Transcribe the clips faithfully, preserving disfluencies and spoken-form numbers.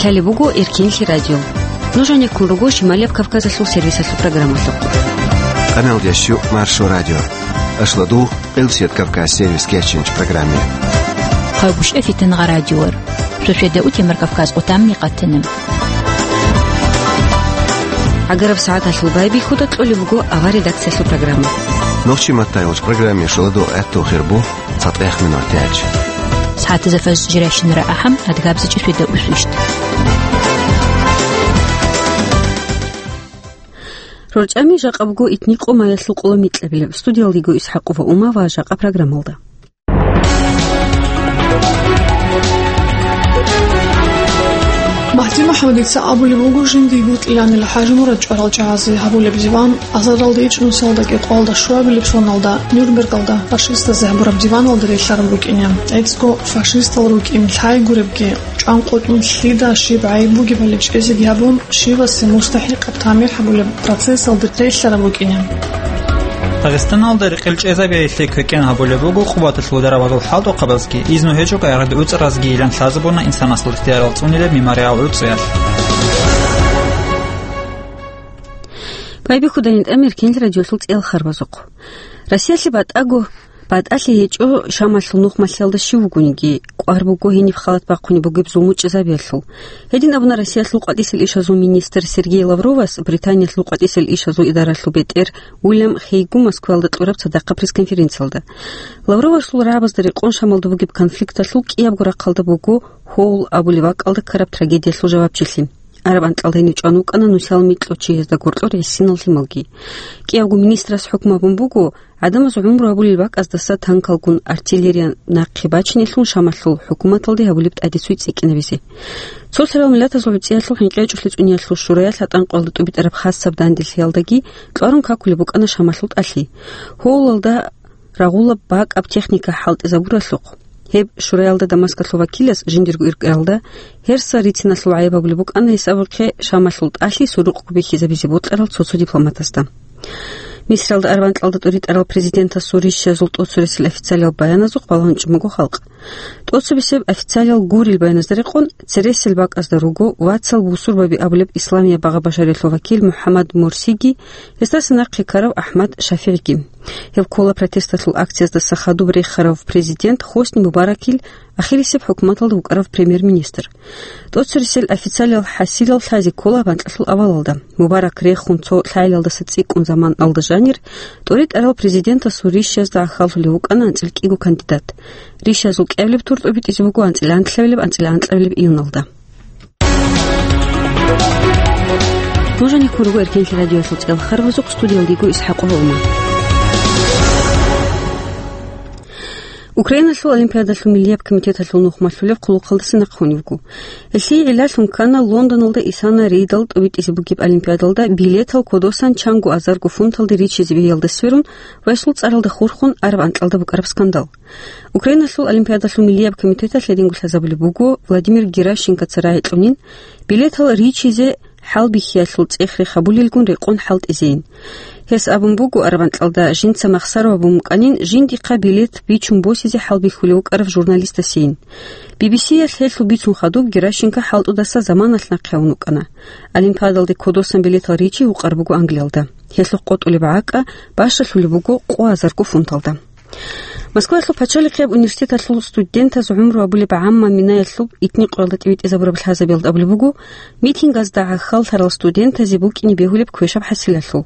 Лъалеб буго Эркенлъи радио. Нуж гьанеккун руго Шималияб Кавказалъул сервисалъул программалъухъ. Къаналда щу Маршо радио. Ашладу Къилсият Кавказ сервис кечинч программе. Хъагушев Фитнагъа радиор. Шошеда утемар Кавказ отамни къатанам. Агараб сагӀаталъул байбихьуда кьолеб буго авар редакциялъул программа. Нохчи маттайолч программе шуладу гӀатту хирбу. ЦатӀех минутач. СагӀатазда фаз жирашинара ахӀам, адгабзичӀи шведа усвищ. РорчӀами жакъа буго итни къо маялъул къоло микьабилеб. Студиялдиго Исхакъова Ума ва жакъа программалда. Магьди МухӀаммадица абулеб буго жиндиего кьиланила ХӀажимурад чӀварал чагӀазе гьабулеб диван. Азаралда ичӀнусиялда кӀикъоялда щуабилеб соналда Нюрнбергалда фашистазе гьабураб диваналда релълъараб букӀине. ГӀицӀго фашистал рукӀин лъай гуребги, чӀван къотӀун лъида щиб гӀайиб бугебали чӀезеги гьабун, щивасе мустахӀикъаб тамихӀ гьабулеб процессалда релълъараб букӀине. Дагъистаналда рекъел чӀезабиялъе квекӀен гьабулеб буго Къубаталъул дарабазул хӀалтӀухъабазги, изну гьечӀого гӀагӀида уцӀаразги йилан лъазабуна инсанасул ихтиярал цӀунилеб мемориал гӀуцӀиялъ. Байбихьудайин тӀамир кенил радиолъул цӀел харбазухъ. Россиялъе батӀаго, батӀалъи гьечӀо Шамалъул нухмалъиялда щив вугониги, кӀвар буго гьениб халат бахъунеб бугеб зулму чӀезабиялъул. Гьедин абуна Россиялъул къватӀисел ишазул министр Сергей Лавровас Британиялъул къватӀисел ишазул идаралъул бетӀер Уильям Хейгу Москваялда кьураб цадахъа пресс-конференциялда. Лавровасул рагӀабазда рекъон Шамалда бугеб конфликталъул кӀиябго рахъалда буго Хоул абулеб бакӀалда ккараб трагедиялъул жавабчилъи. Араб анкьалда гьенив чӀван вукӀана нусиялъ микьго чиясда гуркьо регьисинал лъималги. КӀиябго министрас хӀукму гьабун буго, гӀадамаз гӀумру гьабулел бакӀаздаса танкалгун артиллерия нахъе бачинелъун Шамалъул хӀукуматалде гьабулеб тӀадицуй цӀикӀкӀинабизе. Цо лъарал миллатазул гӀуцӀиялъул хӀинкъичӀолъи цӀуниялъул шураялъ гьатӀан къоялда тӀубитӀараб хасаб данделъиялдаги кьварун какулеб букӀана Шамалъул тӀалъи. Хоулалда рагъулаб бакӀаб техника хӀалтӀизабуралъухъ. Гьеб шураялда Дамаскалъул вакилас жиндирго иркӀаралда гьерса рициналъул гӀайиб гьабулеб букӀана гьесабухъе Шамалъул тӀалъи сурукъго бихьизабизе бокьарал цо-цо дипломатазда. Мисралда араб анкьалда тӀуритӀарал президентасул рищазул тӀоцересел официалиял баяназухъ балагьун чӀун буго халкъ. ТӀоцебесеб официалиял гурел баяназда рекъон, цересел бакӀазда руго вацал бусурбаби абулеб исламияб багъа-башариялъул вакил МухӀаммад Мурсиги, гьесдаса нахъе ккарав АхӀмад ШафигӀиги. Гьев ккола протесталъул акцияздаса хадуб рехарав президент Хосни Мубаракил ахирисеб хӀукуматалда вукӀарав премьер-министр. ТӀоцересел официалиял хӀасилал лъазе ккола банкьалъул авалалда. Мубарак рехун цо лъагӀелалдаса цӀикӀкӀун заманалда жанир, тӀуритӀарал президентасул рищазда гӀахьаллъулев вукӀана анцӀил кӀиго кандидат. Рищазул кӀиабилеб тур тӀубитӀизе буго анцӀила анлъабилеб, анцӀила анкьабилеб июналда. Нуж гьанеккун руго Эркенлъи радиоялъул цӀел харбазухъ, студиялдиго Исхакъова Ума. Украиналъул олимпиадалъул миллияб комитеталъул нухмалъулеб хъулухъалдаса нахъ гьуневго. Гьелъие гӀиллалъун ккана Лондоналда исана рейдал тӀубитӀизе бугеб олимпиадалда билетал кодосан чанго азарго фунталде ричизе бегьиялда сверун ва гьесул цӀаралда хурхун араб анкьалда букӀараб скандал. Украиналъул олимпиадалъул миллияб комитеталъ гьединго лъазабулеб буго, Владимир Геращенкоца рагӀикьунин, билетал ричизе хӀалбихьиялъул цӀех-рех гьабулелгун рекъон хӀалтӀизейин. Гьес абун буго, араб анкьалда жинца махсаро абун букӀанин, жиндихъа билет бичун босизе хӀалбихьулев вукӀарав журналистасейин. Би-би-си-ялъ гьелъул бицун хадуб Геращенко хӀалтӀудаса заманалъ нахъе гьавун вукӀана. Олимпиадалде кодосан билетал ричи гьукъар буго Англиялда. Гьелъухъ къотӀулеб гӀакӀа бащалъулеб буго къо азарго фунталда. Москваялъул пачалихъияб университеталъул студентаз гӀумру абулеб гӀамма минаялъул итни къоялда тӀибитӀизабураб лъазабиялда абулеб буго, митингазда гӀахьаллъарал студентазе букӀине бегьулеб квешаб хӀасилалъул.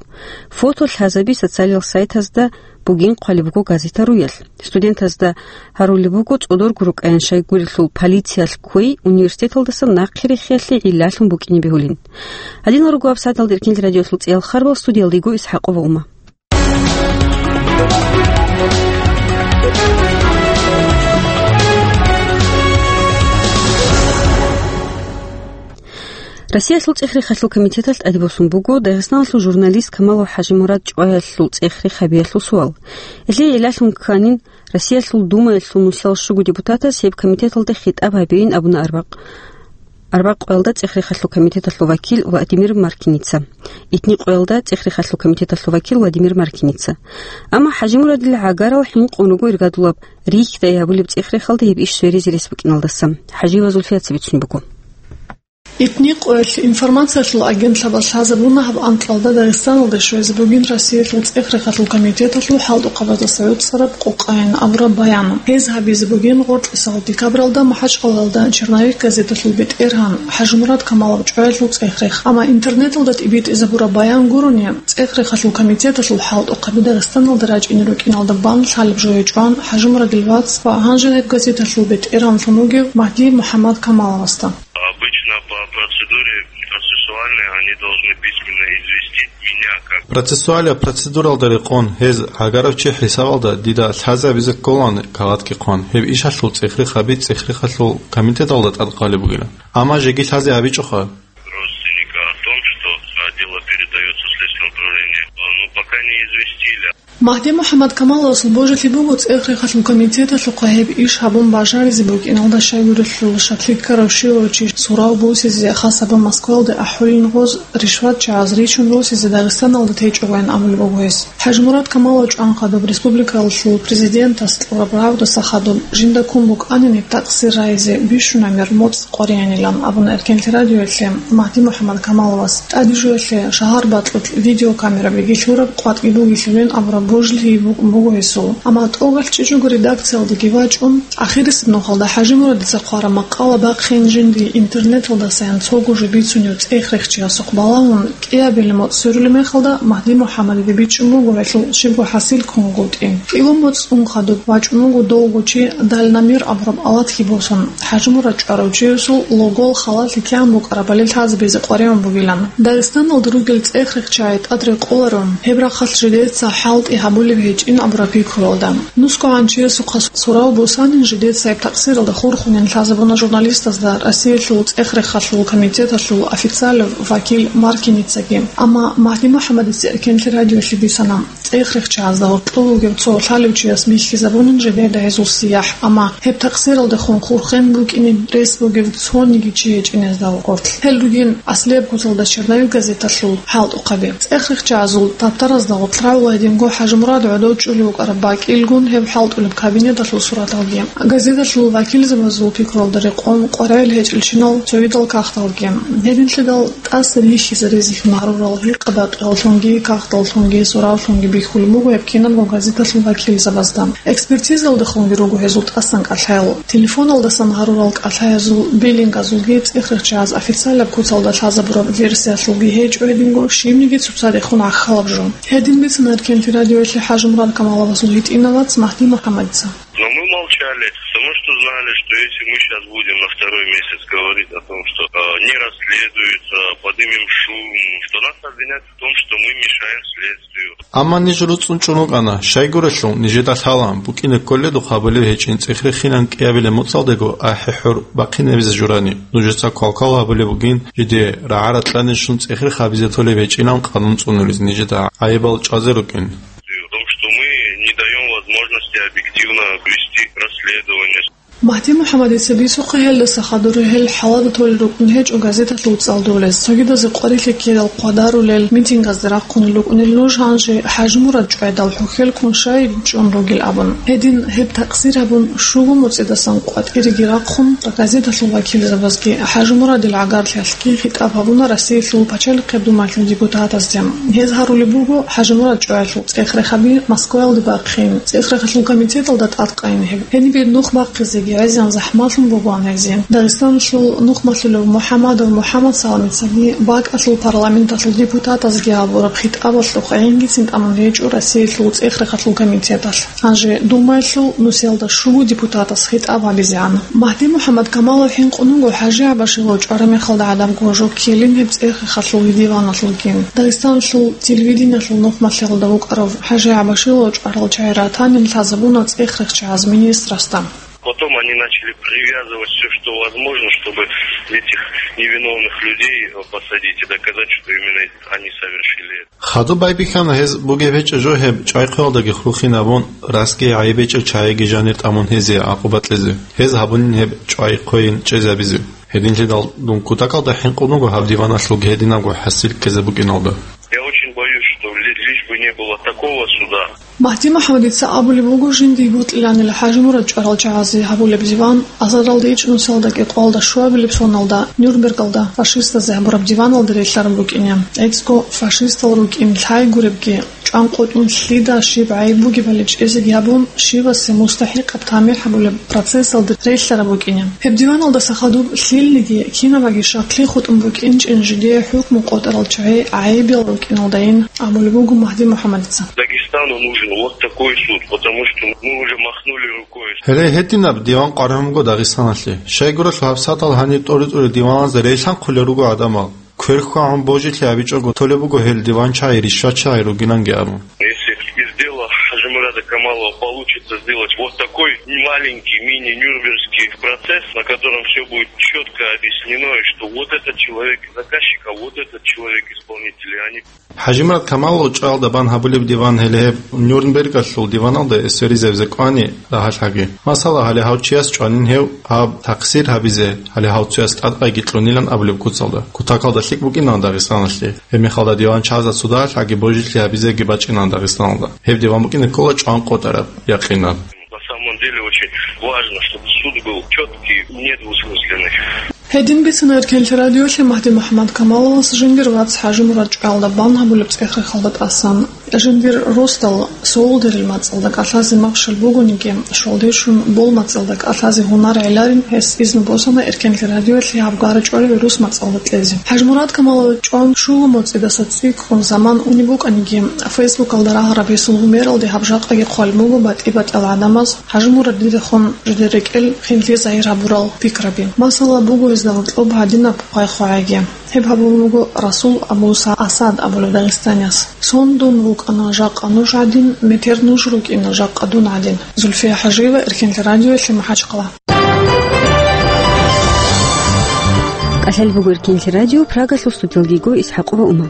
Фото лъазаби социалиял сайтазда бугин хъвалеб буго газета руялъ. Студентазда гьарулеб буго цӀодорго рукӀаян щайгурелъул полициялъ кквей университеталдаса нахъе рехиялъе гӀиллалъун букӀине бегьулин. Гьадинал руго абсадалда Эркенлъи радиоялъул цӀиял харбал, студиялдиго Исхакъова Ума. Россиялъул цӀех-рехалъул комитеталъ тӀадибосун буго Дагъистаналъул журналист Камалов ХӀажимурад чӀваялъул цӀех-рех гьабиялъул суал. Гьелъие гӀиллалъун кканин, Россиялъул Думаялъул нусиял щуго депутатас гьеб комитеталда хитӀаб гьабейин абуна арбакъ-, арбакъоялда цӀех-рехалъул комитеталъул вакил Владимир Маркиница, итни къоялда цӀех-рехалъул комитеталъул вакил Владимир Маркиница. Амма ХӀажимурадил гӀагарал хӀинкъун руго иргадулаб рихьдай гьабулеб цӀех-рехалда гьеб иш сверизе рес букӀиналдаса. ХӀажиева Зульфияца бицун буго. Итни къоялъ информациялъул агентлъабаз лъазабуна гьаб анкьалда Дагъистаналде щвезе бугин Россиялъул цӀех-рехалъул комитеталъул хӀалтӀухъабаздаса гӀуцӀараб къокъайин абураб баян. Гьез гьабизе бугин гъоркьисал декабралда МахӀачкъалалда «Черновик» газеталъул бетӀергьан ХӀажимурад Камалов чӀваялъул цӀех-рех. Амма интернеталда тӀибитӀизабураб баян гурони, цӀех-рехалъул комитеталъул хӀалтӀухъаби Дагъистаналда рачӀине рукӀиналда бан лъалеб жо гьечӀо ХӀажимурадил вацас ва гьанже гьеб газеталъул бетӀергьанлъун вугев Магьди МухӀаммад Камаловасда. Обычно по процедуре процессуальной они должны письменно известить меня как... Процессуалия процедуралда рекъон, гьез гӀагарав чи хӀисабалда дида лъазе абизе кколан кагъатги хъван. Гьеб ишалъул цӀех-рехаби цӀех-рехалъул комитеталда тӀадкъали бугила. Амма жеги лъазе абичӀоха. Родственника о том, что дело передаётся в следственное управление. Ну, пока не известили. Магьди МухӀаммад Камаловасул божилъи буго цӀех-рехалъул комитеталъухъа гьеб иш гьабун бажаризе букӀиналда щайгурелъул шаклъи ккарав щивав чи сурав бусизе, хасаб Москвалде ахӀулин гъоз, ришватчагӀаз ричун росизе Дагъистаналда течӀогойин абулеб буго гьес. ХӀажимурад Камалов чӀван хадуб республикалъул президентас кьураб рагӀудаса хадуб жинда ккун букӀанин гьеб такъсир рагӀизе бищунаб мер моцӀ къваригӀанилан абуна Эркенлъи радиоялъе Магьди МухӀаммад Камаловас. ТӀаде жоялъе шагьар бакьулъ видеокамераби лъураб къватӀги бугелъулин абураб божилъи букӀун буго гьесул. Амма тӀокӀалъ чӀечӀого редакциялдеги вачӀун, ахирисеб нухалда ХӀажимурадица хъвараб макъала бахъин жинди интернеталдасаян цого жо бицунев цӀех-рехчиясухъ балагьун, кӀиабилеб моцӀ сверулеб мехалда Магьди МухӀаммадиде бичӀчӀун буго гьелъул щибго хӀасил ккун вугевги. КӀиго моцӀ ун хадуб вачӀун вуго довго чи дальномер абураб алатги босун, ХӀажимурад чӀварав чиясул логол халалъи кигӀан букӀарабали лъазабизе къваригӀун бугилан. Дагъистаналда ругел цӀех-рехчагӀи тӀад рекъоларо, гьеб рахъалъ жидеца хӀалтӀи гьабулеб гьечӀин абураб пикруялда. НусгогӀан чиясухъа сурав бусанин жидеца гьеб такъсиралда хурхунин лъазабуна журналистазда Россиялъул цӀех-рехалъул комитеталъул официалав вакил Маркиницаги. Амма Магьди МухӀаммадица Эркенлъи радиоялъе бицана, цӀех-рехчагӀазда гьоркьов вугев цо лъалев чияс бихьизабунин жидеда гьезул сияхӀ, амма гьеб такъсиралдехун хурхен букӀине рес бугев цониги чи гьечӀин гьезда гъорлъ. Гьел ругин аслияб куцалда «Черновик» газеталъул хӀалтӀухъаби. ЦӀех-рехчагӀазул таптаразда гъоркь рагӀула гьединго ХӀажимурад гӀодов чӀулев вукӀараб бакӀилгун гьев хӀалтӀулеб кабинеталъул сураталги, газеталъул вакилзабазул пикруялда рекъон къваригӀел гьечӀелщинал цогидал кагъталги. Гьединлъидал тӀаса бихьизаризелъун гьарурал гьикъа-бакъияллъунги, кагъталлъунги, суравлъунги бихьулеб буго гьеб кинабго газеталъул вакилзабазда. Экспертизаялдехунги руго гьезул тӀасан кӀалъаял. Телефоналдасан гьарурал кӀалъаязул, биллингазулги цӀех-рехчагӀаз официалаб куцалда лъазабураб версиялъулги гьечӀо гьединго щибниги цоцадехун гӀахьалаб жо. Гьедин бицана Эркенлъи радиоялъе ХӀажимурад Камаловасул гьитӀинав вац Магьди МухӀаммадица. Но мы молчали, потому что знали, что если мы щас будем на второй месяц говорить о том, что, э, не расследуется, подымем шум, что нас обвинят в том, что мы мешаем следствию. Амма ниж руцӀцӀун чӀун рукӀана, щайгурелъул нижеда лъала, букӀине кколедухъ гьабулеб гьечӀин цӀех-рехилан кӀиабилеб моцӀалдего ахӀи-хӀур бахъинабизе журани. Нужеца квалквал гьабулеб бугин, жиде рагӀа-ракьанилъун цӀех-рех гьабизе толеб гьечӀилан къанун цӀунулез нижеда гӀайибал чӀвазе рукӀин. В том, что мы не даём возможности объективно вести расследование. Магьди МухӀаммадица бицухъе, гьелдаса хадур гьел хӀалада толел рукӀун гьечӀо газеталъул цӀалдолез, цогидазе къварилъи ккедал хъвадарулел, митингазде рахъунел рукӀунел нуж гьанже ХӀажимурад чӀвайдал хӀухьел ккун щай чӀун ругел абун. Гьедин гьеб такъсир гьабун, щуго моцӀидасан къватӀиреги рахъун, газеталъул вакилзабазги ХӀажимурадил гӀагарлъиялъги хитӀаб гьабуна Россиялъул Пачалихъеб Думаялъул депутатазде. Гьез гьарулеб буго ХӀажимурад чӀваялъул цӀех-рехаби Москваялде бахъин, цӀех-рехалъул комитеталда тӀадкъайин гьеб. Гьенибе нух бахъизеги гӀезегӀан захӀмалъун бугоан гьезие. Дагъистаналъул нухмалъулев МухӀаммадов МухӀаммад Саламицаги бакӀалъул парламенталъул депутатазги гьабураб хитӀабалъухъ гӀингицин тӀамун гьечӀо Россиялъул цӀех-рехалъул комитеталъ. Гьанже Думаялъул нусиялда щуго депутатас хитӀаб гьабизегӀан. Магьди МухӀаммад Камалов хӀинкъун вуго ХӀажи ГӀабашилав чӀвараб мехалда гӀадабго жо ккелин гьеб цӀех-рехалъул гьедин диваналъулги. Дагъистаналъул телевидениялъул нухмалъиялда вукӀарав ХӀажи ГӀабашилав чӀварал чагӀи ратанин лъазабуна цӀех-рехчагӀаз министрасда. Потом они начали привязывать всё, что возможно, чтобы этих невиновных людей, э, посадить и доказать, что именно они совершили это. Хадуб байбихьана гьез бугеб гьечӀеб жо гьеб чӀвай-хъвеялдаги хурхин абун, расги гӀайиб гьечӀеб чагӀиги жанир тӀамун гьезие гӀакъуба кьезе, гьез гьабунин гьеб чӀвай-хъвейин чӀезабизе. Гьединлъидал дун кутакалда хӀинкъун вуго гьаб диваналъулги гьединабго хӀасил ккезе букӀиналда. Я очень боюсь, что ли-, лишь бы не Не было такого суда. Магьди МухӀаммадица абулеб буго жиндие бутӀиланила ХӀажимурад чӀварал чагӀазе гьабулеб диван, азаралда ичӀнусиялда кӀикъоялда щуабилеб соналда Нюрнбергалда фашистазе гьабураб диваналда релълъараб букӀине. ГӀицӀго фашистал рукӀин лъай гуребги, чӀван къотӀун лъида щиб гӀайиб бугебали чӀезеги гьабун, щивасе мустахӀикъаб тамихӀ гьабулеб процессалда релълъараб букӀине. Гьеб диваналдаса хадуб лъилниги, кинабаги щаклъи хутӀун букӀинчӀин жидее хӀукму къотӀарал чагӀи гӀайибиял рукӀиналдайин, абулеб буго Магьди МухӀаммадица. Дагестану нужен вот такой суд, потому что мы уже махнули рукой. Гьеле гьединаб диван къваригӀун буго Дагъистаналъе. Щайгурелъул гьабсагӀатал гьаниб тӀури-тӀури диваналда релълъанхъулел руго гӀадамал. Квер хьвагӀун божилъи гьабичӀого толеб буго гьел диванчагӀи ришватчагӀи ругиланги абун. Если из дела Хаджимурада Камалова получится сделать вот такой маленький мини-нюрнбергский процесс, на котором всё будет чётко объяснено, и что вот этот человек заказчик, а вот этот человек исполнитель, и они ХӀажимурад Камалов чӀваялда бан гьабулеб диван гьеле гьеб Нюрнбергалъул диваналда эсверизабизе кӀвани рагьалъаги. Масала, гьале гьав чияс чӀванин гьев гьаб такъсир гьабизе, гьале гьав цояс тӀадкъайги кьунилан абулеб куцалда. Кутакалда лъикӀ букӀинан Дагъистаналъе. Гьеб мехалда диван чагӀазда цо дагьалъаги божилъи гьабизеги бачӀинан Дагъистаналда. Гьеб диван букӀине ккола чӀван къотӀараб якъинаб. На самом деле очень важно, чтобы суд был чёткий, недвусмысленный. Гьедин бицана Эркенлъи радиолъе Магьди МухӀаммад Камаловас жиндир вац ХӀажимурад чӀваялда бан гьабулеб цӀех-рехалда тӀасан. Жиндир росдал Саулдерил мацӀалда кӀалъазе махщел бугониги, щвалде щун Бол мацӀалда кӀалъазе гьунар гӀеларин гьес изну босана Эркенлъи радиолъе гьаб гара чӀвалеб рус мацӀалда кьезе. ХӀажимурад Камалов чӀван щуго моцӀидаса цӀикӀкӀун заман унеб букӀаниги, Фейсбукалда рагьараб гьесул гьумералде гьаб жакъаги хъвалеб буго батӀи-батӀиял гӀадамаз, ХӀажимурад дидехун жидер рекӀел хинлъи загьир гьабурал пикраби. Масала, буго гьезда гьоркьоб гьадинаб хъвай-хъвагӀиги. Гьеб гьабун буго Расул Абу Са-, Асад абулев дагъистанияс. Сон дун вукӀана жакъа нуж гӀадин, метер нуж рукӀина жакъа дун гӀадин. Зульфия ХӀажиева, Эркенлъи радиоялъе, МахӀачхъала. КӀалъал буго Эркенлъи радио, Прагалъул студиялги го ИсхӀакъова Ума.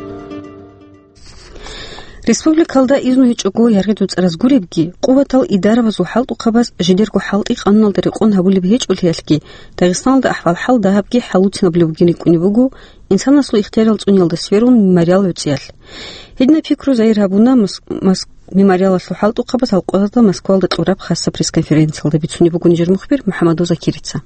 Республикалда изну гьечӀого яргъи дуцӀараз гуребги, къуватал идарабазул хӀалтӀухъабаз жидерго хӀалтӀи къануналда рекъон гьабулеб гьечӀолъиялъги, Дагъистаналда ахӀвал-хӀал дагьабги хӀалуцинабулеб бугин рикӀкӀунеб буго инсанасул ихтиярал цӀуниялда сверун мемориал гӀуцӀиялъ. Гьединаб пикру загьир гьабуна Мос-, Мос-, мемориалалъул хӀалтӀухъабаз гьалкъоялда Москвалда кьураб хасаб пресс-конференциялда, бицунеб бугони жер мухбир МухӀаммадов Закирица.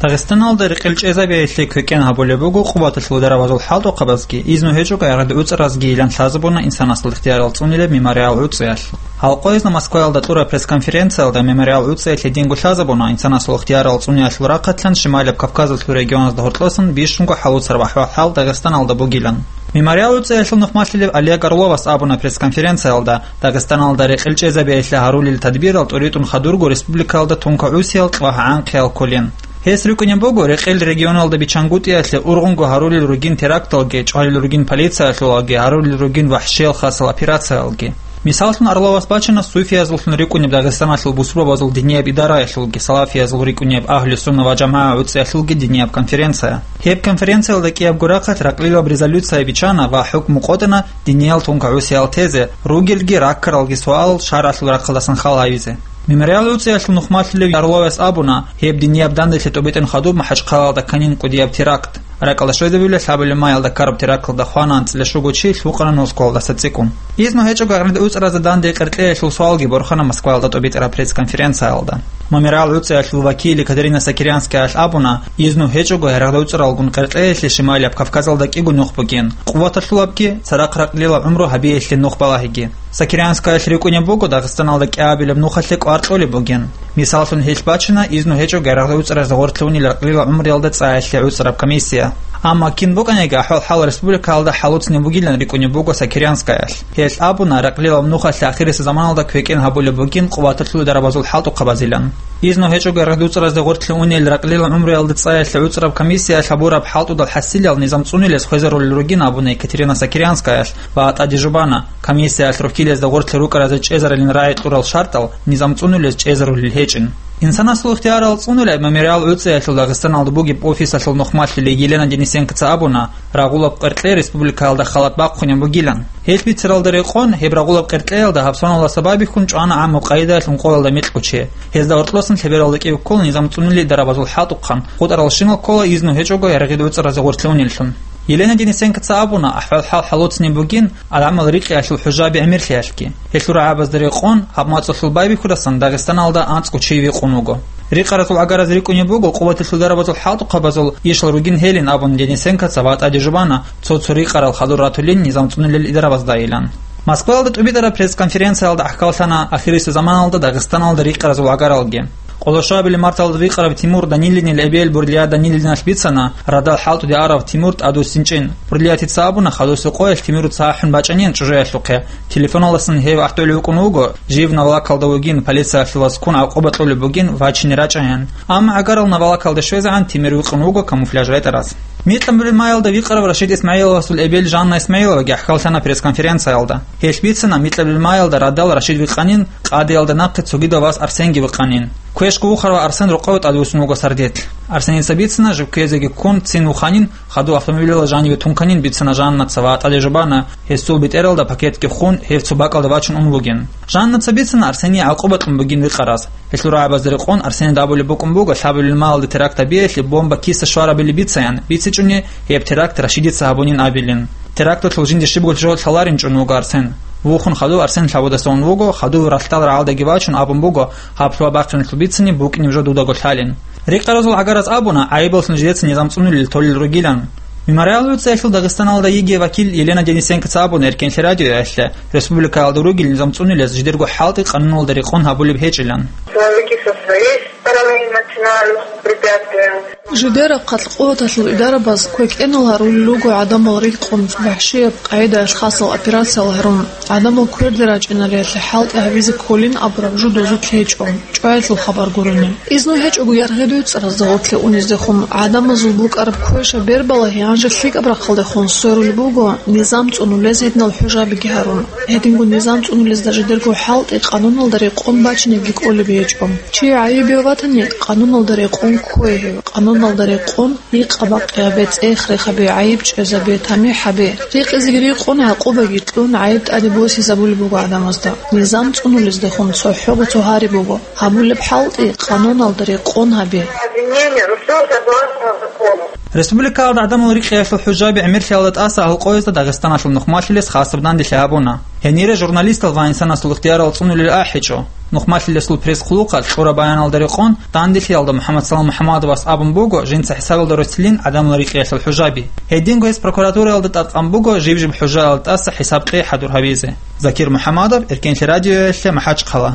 Дагъистаналда рекъел чӀезабиялъе квекӀен гьабулеб буго къуваталъул дарабазул хӀалтӀухъабазги, изну гьечӀого яргъи дуцӀаразги йилан лъазабуна инсанасул ихтиярал цӀунилеб мемориал гӀуцӀиялъ. Гьалкъоязда Москваялда кьураб пресс-конференциялда мемориал гӀуцӀиялъ гьединго лъазабуна инсанасул ихтиярал цӀуниялъул рахъалъан Шималияб Кавказалъул регионазда гьоркьосан бищунго хӀалуцараб ахӀвал-хӀал Дагъистаналда бугилан. Мемориал гӀуцӀиялъул нухмалъулев Олег Орловас абуна пресс-конференциялда, Дагъистаналда рекъел чӀезабиялъе гьарулел тадбирал тӀуритӀун хадурго республикалда тункагӀусиял кьвагь-гӀанхъиял кколин. Гьес рикӀкӀунеб буго, рекъел регионалда бичангутӀиялъе ургъунго гьарулел ругин теракталги, чӀвалел ругин полициялъулалги, гьарулел ругин вахӀшиял хасал операциялги. Мисаллъун, Орловас бачана суфиязуллъун рикӀкӀунеб Дагъистаналъул бусурбабазул динияб идараялъулги, салафиязул рикӀкӀунеб Агьлу-сунна ва жамагӀа гӀуцӀиялъулги динияб конференция. Гьеб конференциялда кӀиябго рахъалъ ракълилаб резолюция бичана ва хӀукму къотӀана диниял тункагӀусиял тезе, ругелги раккаралги суал шаргӀалъул рахъалдасан хал гьавизе. Мемориал гӀуцӀиялъул нухмалъулев Орловас абуна, гьеб динияб данделъи тӀубитӀун хадуб МахӀачхъалаялда кканин кӀудияб теракт. РакӀалда щвезабулеб лъабабилеб маялда ккараб теракталда хвана анцӀила щуго чи, лъукъана Москвалдаса цӀикӀкӀун. Изну гьечӀого яргъи дуцӀаразе данде къеркьеялъул суалги борхана Москваялда тӀубитӀараб пресс-конференциялда. Мемориал гӀуцӀиялъул вакил Екатерина Сокирянскаялъ абуна, изну гьечӀого яргъи дуцӀаралгун къеркьеялъе Шималияб Кавказалда кӀиго нух бугин, къуваталъулабги, цадахъ ракълилаб гӀумру гьабиялъе нух балагьиги. Сокирянскаялъ рикӀкӀунеб буго, Дагъистаналда кӀиабилеб нухалъе кӀвар кьолеб бугин. Мисаллъун, гьелъ бачина изну гьечӀого яргъи дуцӀаразе гъорлъе унел ракълилаб гӀумруялда цӀаялъе гӀуцӀараб комиссия. Амма кин букӀаниги, ахӀвал-хӀал республикаялда хӀалуцинеб бугилан рикӀкӀунеб буго Сокирянскаялъ. Гьелъ абуна, ракълилаб нухалъе ахирисеб заманалда квекӀен гьабулеб бугин къуваталъул дарабазул хӀалтӀухъабазилан. Изну гьечӀого яргъи дуцӀаразе гъорлъе унел ракълилаб гӀумруялда цӀаялъе гӀуцӀараб комиссиялъ гьабураб хӀалтӀудал хӀасилал низам цӀунулес хвезарулел ругин абуна Екатерина Сокирянскаялъ ва тӀаде жубана, комиссиялъ рухьилезда гъорлъе рукӀаразе чӀезарилин рагӀи кьурал шартӀал низам цӀунулез чӀезарулел гьечӀин. Инсанасул ихтиярал цӀунулеб мемориал гӀуцӀиялъул Дагъистаналда бугеб офисалъул нухмалъулей Елена Денисенкоца абуна, рагъулаб къеркье республикаялда халат бахъунеб бугилан. Гьелъ бицаралда рекъон, гьеб рагъулаб къеркьеялда гьаб соналда сабаблъун чӀвана гӀаммаб къайдаялъ ункъоялда микьго чи. Гьезда гьоркьосан лъебералда кӀиго ккола низам цӀунулел дарабазул хӀалтӀухъан, хутӀаралщинал ккола изну гьечӀого яргъи дуцӀаразе гъорлъе унеллъун. Елена Денисенкоца абуна, ахӀвал-хӀал хӀалоцинеб бугин гӀадамал рикъиялъул хӀужаби гӀемерлъиялъги. Гьелъул рагӀабазда рекъон, гьаб мацӀалъул байбихьудасан Дагъистаналда анцӀго чи викъун вуго. Рикъаразул гӀагараз рикӀкӀунеб буго къуваталъул дарабазул хӀалтӀухъабазул ишал ругин гьелин абун, Денисенкоца ва тӀаде жубана цо-цо рикъарал хадур ратулин низам цӀунулел идарабаздайилан. Москваялда тӀубитӀараб пресс-конференциялда гӀахьаллъана ахирисеб заманалда Дагъистаналда рикъаразул гӀагаралги. Къолошабили марталда рикъараб Тимур Данилинил эбел Бурлия Данилиналъ бицана радал хӀалтӀуде арав Тимур тӀадвуссинчӀин. Бурлиятица абуна, хадусеб къоялъ Тимур цо ахӀун бачӀанин чӀужуялъухъе. Телефоналдасан гьев ахӀдолев вукӀун вуго, жив навалакалда вугин, полициялъул васкун гӀакъуба кьолеб бугин вачине рачӀайин. Амма гӀагарал навалакалде щвезегӀан Тимур вукӀун вуго камуфляж ретӀараз. Микьабилмаялда викъарав Рашид ИсмагӀиловасул эбел Жанна ИсмагӀиловаги гӀахьаллъана пресс-конференциялда. Гьелъ бицана Микьабилмаялда радал Рашид вихъанин, къадиялда нахъе цогидал вас Арсенги вихъанин. Квешго вухарав Арсен рокъове тӀадвуссун вуго сардилъ. Арсеница бицана, жив ккезеги ккун, цин вуханин, хадув автомобилалда жаниве тунканин бицана Жаннаца ва тӀаде жубана, гьесул бетӀералда пакетги хун, гьев цо бакӀалда вачун ун вугин. Жаннаца бицана Арсений гӀакъуба кьун бугин вихъараз. Гьелъул рагӀабазда рекъон Арсенида абулеб букӀун буго лъабабилмаялда теракт гьабиялъе бомба киса щварабили бицаян, бицичӀони гьеб теракт Рашидица гьабунин абилин. Теракталъул жинде щибго жо лъаларинчӀун вуго Арсен. Вухун хадув Арсен лъабудаса ун вуго, хадув ралъдал рагӀалдаги вачун абун буго, гьаб лъугьа-бахъиналъул бицани букӀинеб жо дудаго лъалин. Рикъаразул гӀагараз абуна, гӀайибаллъун жидеца низам цӀунулел толел ругилан. Мемориаловецаялъул Дагъистаналда йигей вакил Елена Денисенкоца абуна Эркенлъи радиоялъе, республикаялда ругел низам цӀунулез жидерго хӀалтӀи къануналда рекъон гьабулеб гьечӀилан. Человеки со своей стороны начинают препятствия. Жидераб хъалъ къуваталъул идарабаз квекӀенал гьарулел руго гӀадамал рикъун, вахӀшияб къагӀидаялъ хасал операциял гьарун. ГӀадамал кверде рачӀиналиялъе хӀалтӀи гьабизе кколин абураб жо дозулъ гьечӀо, чӀваялъул хабар гурони. Изну гьечӀого яргъи дойцӀаразда гъорлъе униздехун, гӀадамазул букӀараб квеша бербалагьи гьанже лъикӀаб рахъалдехун сверулеб буго низам цӀунулез гьединал хӀужабиги гьарун. Гьединго низам цӀунулезда жидерго хӀалтӀи къануналда рекъон бачинеги кӀолеб гьечӀо. Чи гӀайиб ватани, къануналда рекъон ккве гьев, къануналда рекъон Икъа-бакъиябе, цӀех-рехабе, гӀайиб чӀезабе, тамихӀ гьабе. Рекъезеги рекъон, гӀакъубаги кьун, гӀайиб тӀаде босизабулеб буго гӀадамазда. Низам цӀунулездехун цохӀого цо гьари буго. Гьабулеб хӀалтӀи къануналда рекъон гьабе. Обвинение, ну, всё согласно закону. Республикаялда гӀадамал рикъиялъул хӀужаби гӀемерлъиялда тӀаса гьалкъоязда Дагъистаналъул нухмалъилес хасаб данделъи гьабуна. Гьенире журналистал ва инсанасул ихтиярал цӀунулел ахӀичӀо. Нухмалъилесул пресс-хъулухъалъ кьураб баяналда рекъон данделъиялда МухӀаммадсалам МухӀаммадовас абун буго жинца хӀисабалда росилин гӀадамал рикъиялъул хӀужаби. Гьединго гьес прокуратураялда тӀадкъан буго жиб-жиб хӀужаялда тӀаса хӀисаб-къей хӀадур гьабизе. Закир МухӀаммадов, Эркенлъи радиоялъе, МахӀачхъала.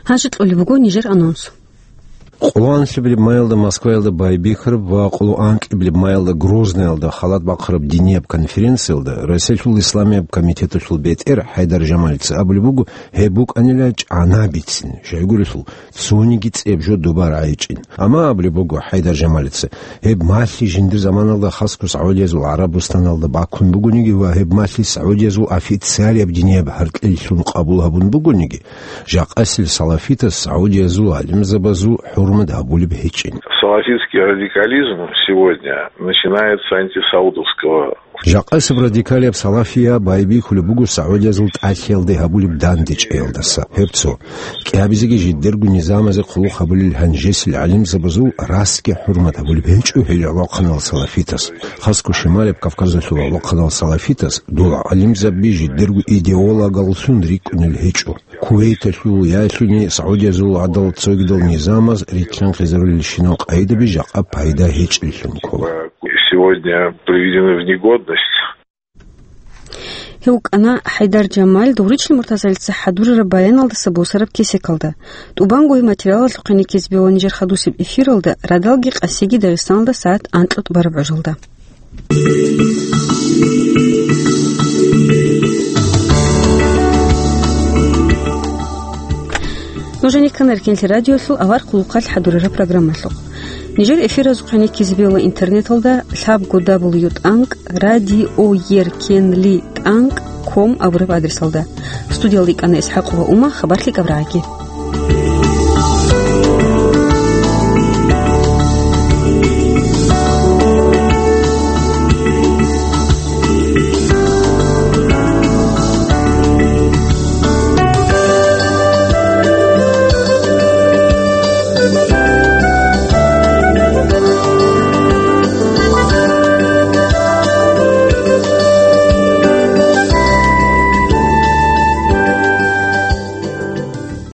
Гьанже кьолеб буго нижер анонс. Къоло анлъабилеб маялда Москваялда байбихьараб ва къоло анкьабилеб маялда Грозныялда халат бахъараб динияб конференциялда Россиялъул исламияб комитеталъул бетӀер ХӀайдар Жамалица абулеб буго, гьеб букӀанила чӀанабицин, щайгурелъул цониги цӀеб жо доба рагӀичӀин. Амма абулеб буго ХӀайдар Жамалица, гьеб малъи жиндир заманалда хасго СагӀудиязул ГӀарабустаналда бакун бугониги ва гьеб малъи СагӀудиязул официалияб динияб гьаркьилъун къабул гьабун бугониги, жакъасел салафитас СагӀудиязул гӀалимзабазул хӀурмат гьабулеб гьечӀин. Салафитский радикализм сегодня начинается антисаудовского. Жакъасеб радикалияб салафия байбихьулеб буго СагӀудиязул тӀалъиялде гьабулеб дандечӀеялдаса. Гьеб цо. КӀиабизеги жидерго низамазе хъулухъ гьабулел гьанжесел гӀалимзабазул расги хӀурмат гьабулеб гьечӀо гьел гӀолохъанал салафитас. Хасго шималеб Кавказалъул гӀолохъанал салафитас дол гӀалимзаби жидерго идеологаллъун рикӀкӀунел гьечӀо. Кувейталъул яги СагӀудиязул гӀадал цогидал низамаз рилълъанхъизарулелщинал къагӀидаби жакъа пайда гьечӀеллъун ккола. Сегодня приведены в негодность. Гьев вукӀана ХӀайдар Жамал Догъричил Муртазалица хӀадурараб баяналдаса босараб кесекалда. ТӀубанго гьеб материалалъухъе ккезабе ва нижер хадусеб эфиралда радалги къасиги Дагъистаналда сагӀат анкьа тӀубараб гӀужалда. Нуж гьаниккана Эркенлъи радиолъул авар хъулухъалъ хӀадурараб программалъухъ. Нижер эфиразухъе ккезабе ва интернеталда лъабго дабл ю тӀанкӀ радиоеркенлъи тӀанкӀ ком абураб адресалда. Студиялда йикӀана ИсхӀакъова Ума, хабар лъикӀаб рагӀаги.